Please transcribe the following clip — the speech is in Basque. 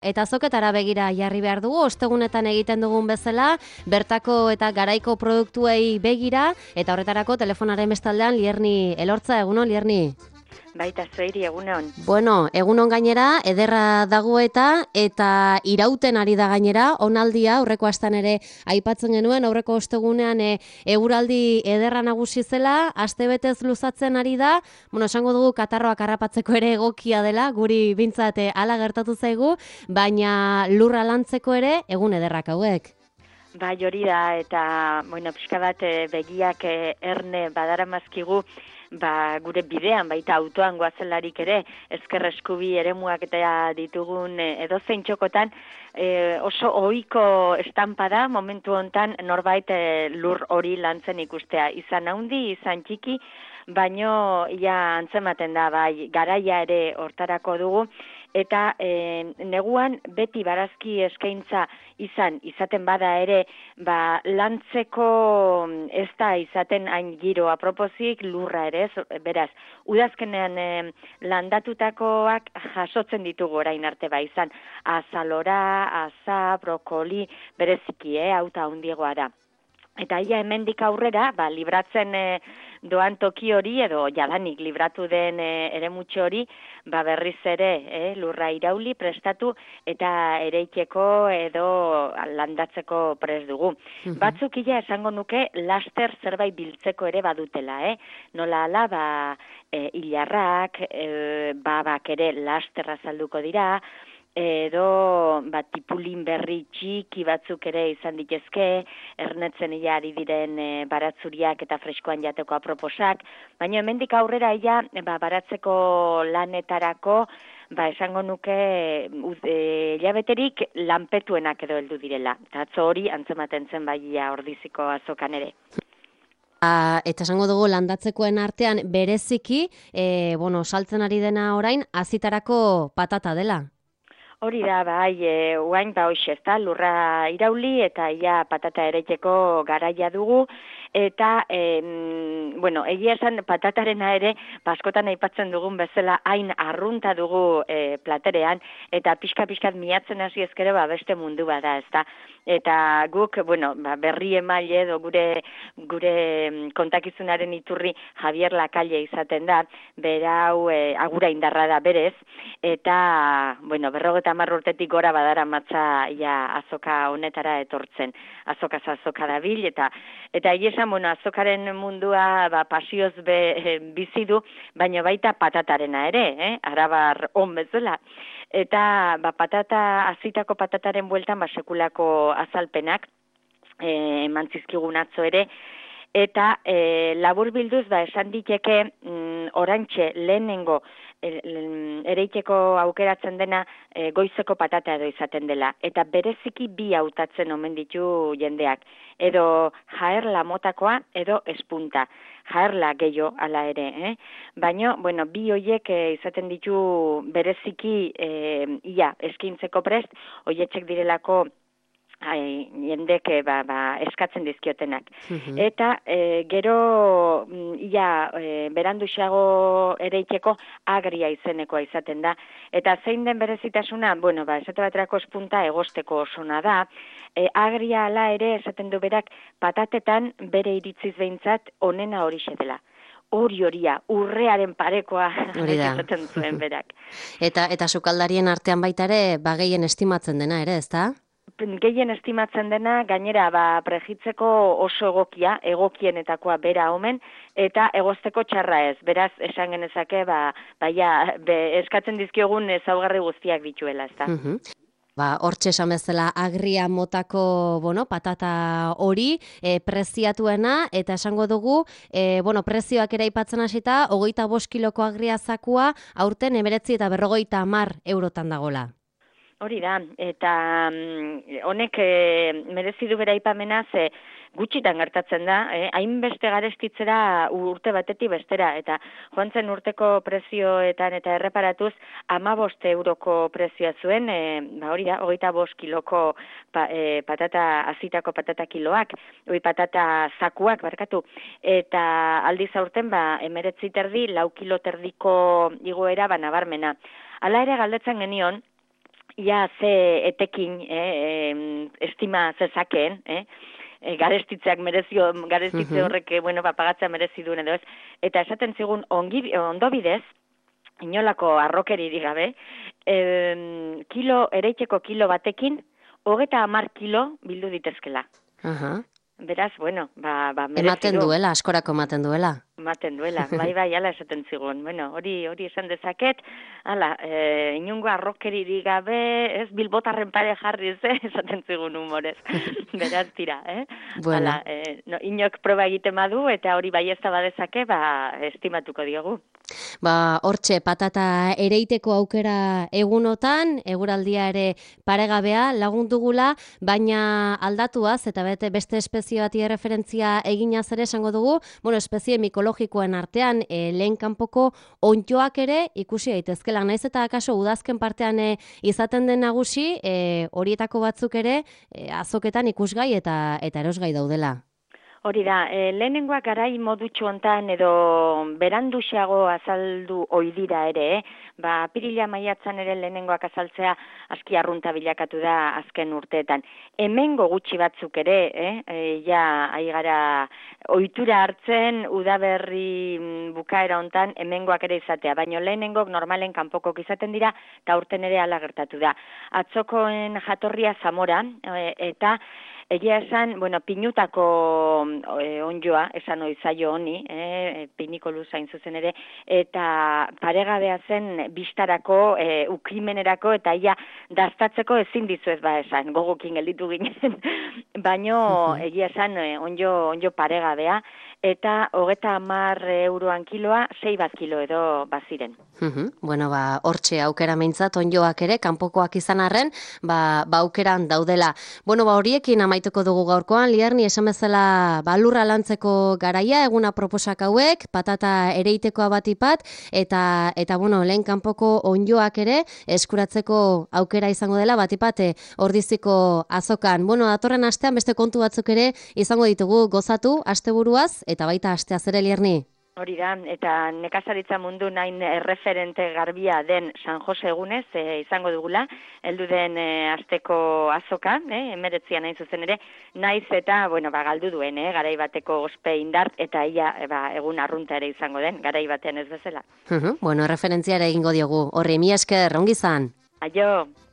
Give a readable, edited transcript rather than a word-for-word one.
Eta azoketara begira jarri behar dugu, ostegunetan egiten dugun bezala, bertako eta garaiko produktuei begira, eta horretarako telefonaren bestaldean Lierni Elortza, egunon, Lierni? Baita zeiri egunon. Bueno, egunon gainera, ederra dago eta irauten ari da gainera, onaldia, aurreko astan ere aipatzen genuen, aurreko ostegunean eguraldi ederra nagusi zela, astebetez luzatzen ari da, esango dugu katarroak harrapatzeko ere egokia dela, guri bintzat hala gertatu zaigu, baina lurra lantzeko ere egun ederrak hauek. Bai, hori da, eta, pixka bat begiak erne badaramazkigu, gure bidean, baita autoan goazelarik ere, ezker eskubi eremuak eta ditugun edozein txokotan, oso ohiko estampa da, momentu hontan norbait lur hori lantzen ikustea. Izan handi, izan txiki, baino antzematen da, bai, garaia ere hortarako dugu, eta neguan beti barazki eskaintza izaten bada ere, lantzeko ez da izaten hain giro aproposik lurra ere, beraz, udazkenean landatutakoak jasotzen ditugu orain arte izan azalora, aza, brokoli, bereziki, auta handiegoa da. Eta hemendik aurrera, libratzen doan toki hori, edo jadanik libratu den eremutxo hori, berriz ere lurra irauli, prestatu, eta ereikeko edo landatzeko prest dugu. Batzuk esango nuke, laster zerbait biltzeko ere badutela, nola ala, hilarrak, babak ere lasterra salduko dira, edo tipulin berri txiki batzuk ere izan ditezke, ernetzen ari diren baratzuriak eta freskoan jateko aproposak, baina hemendik aurrera baratzeko lanetarako, esango nuke hilabeterik lanpetuenak edo heldu direla. Eta atzo hori antzematen zen ordiziko azokan ere. Eta esango dugu landatzekoen artean bereziki, saltzen ari dena orain, azitarako patata dela. Hori da, oain hoxe, lurra irauli eta patata ereiteko garaia dugu, eta, egia esan patatarena ere, askotan aipatzen dugun bezala, hain arrunta dugu platerean, eta pixka-pixkat miatzen hasi ezkero, beste mundu bada, ezta. Eta guk, berri emaile edo gure kontakizunaren iturri Javier Lakalle izaten da, berau agura indarra da berez, eta, 50 urtetik gora badara matza azoka honetara etortzen. Azokaz azoka dabil, eta esan, azokaren mundua pasioz bizi du, baina baita patatarena ere, arabar on bezala. Eta azitako patataren bueltan sekulako azalpenak eman zizkigun atzo ere, eta labur bilduz esan diteke orantxe lehenengo ereiteko aukeratzen dena goizeko patata edo izaten dela. Eta bereziki bi hautatzen omen ditu jendeak. Edo jaerla motakoa edo espunta. Jaerla gehiago ala ere. Baina, bi hoiek izaten ditu bereziki eskintzeko prest, hoietxek direlako jendek eskatzen dizkiotenak. Eta gero beranduxago ereiteko agria izenekoa izaten da. Eta zein den berezitasuna, esate baterako espunta egosteko osona da. Agria ala ere esaten du berak patatetan bere iritziz behintzat onena horixe dela. Horia, urrearen parekoa esaten zuen berak. Eta sukaldarien artean baita ere, gehien estimatzen dena ere, ezta? Gehien estimatzen dena, gainera, prejitzeko oso egokienetakoa bera omen, eta egozteko txarra ez. Beraz, esan genezake, eskatzen dizkiogun ezaugarri guztiak dituela, ezta? Hortxe esan bezala agria motako patata hori preziatuena, eta esango dugu, prezioak ere aipatzen hasita, 25 kiloko agria zakua aurten 19 eta 50 eurotan dagola. Hori da, eta honek merezi du bera aipamena, ze gutxitan gertatzen da, hainbeste garestitzera urte batetik bestera, eta joan zen urteko prezioetan eta erreparatuz 15 euroko prezioa zuen, hori da, 25 kiloko azitako patata kiloak, patata zakuak, eta aldiz aurten 19 terdi, 4 kilo terdiko igoera nabarmena. Hala ere galdetzen genion, ia ze etekin estima zezakeen, garestitzeak garestitze horrek, pagatzea merezi duen edo ez. Eta esaten zigun, ondo bidez, inolako arrokeririk gabe, ereiteko kilo batekin, 30 kilo bildu ditezkela. Beraz, merezi ematen duela, askorako ematen duela. Ematen duela, bai, ala esaten zigun. Hori esan dezaket, inungo arrokeririk gabe, ez bilbotarren pare jarriz, esaten zigun humorez. Beraz, tira, Bueno. Inok proba egiten badu, eta hori bai ez da badezake, estimatuko diogu. Hortxe, patata ereiteko aukera egunotan, eguraldia ere paregabea lagundugula, baina aldatuaz, eta beste espezie bati referentzia eginaz ere esango dugu, espezie mikologikoen artean, lehen kanpoko onddoak ere ikusi daitezkela. Naiz eta akaso udazken partean izaten den nagusi, horietako batzuk ere azoketan ikusgai eta erosgai daudela. Hori da, lehenengoak garai modutxu hontan edo beranduxeago azaldu oidira ere, apirila maiatzan ere lehenengoak azaltzea aski arrunta bilakatu da azken urteetan. Hemengo gutxi batzuk ere, aigara ohitura hartzen udaberri bukaera hontan hemengoak ere izatea, baina lehenengok normalen kanpokok izaten dira, eta urten ere hala gertatu da. Atzokoen jatorria Zamora, eta egia esan, pinutako ondjoa, esan oizaio honi, pinikolu zain zuzen ere, eta paregabea zen bistarako, ukrimenerako, eta ia daztatzeko ezin dizuez esan, gogokin gelditu ginen, baino egia esan ondjo paregabea, eta 30 euroan kiloa, 6 kilo edo baziren. Hortxe aukera meintzat, ondjoak ere, kanpokoak izan arren, aukeran daudela. Horiekin amaituko dugu gaurkoan, Liarni, esan bezala lurra lantzeko garaia, eguna proposak hauek, patata ereitekoa batipat, eta lehen kanpoko ondjoak ere, eskuratzeko aukera izango dela, batipat, ordiziko azokan. Datorren astean beste kontu batzuk ere izango ditugu gozatu, asteburuaz, eta baita asteaz ere, Liarni. Hori da, eta nekazaritza mundu nain referente garbia den San Jose egunez izango dugula, heldu den asteko azoka, 19 nahi zuzen ere, naiz eta, galdu duen, garai bateko ospe indart, eta ia egun arrunta ere izango den, garai batean ez bezala. Referentziara egingo diogu. Horri, mi esker, ongi zan. Aio!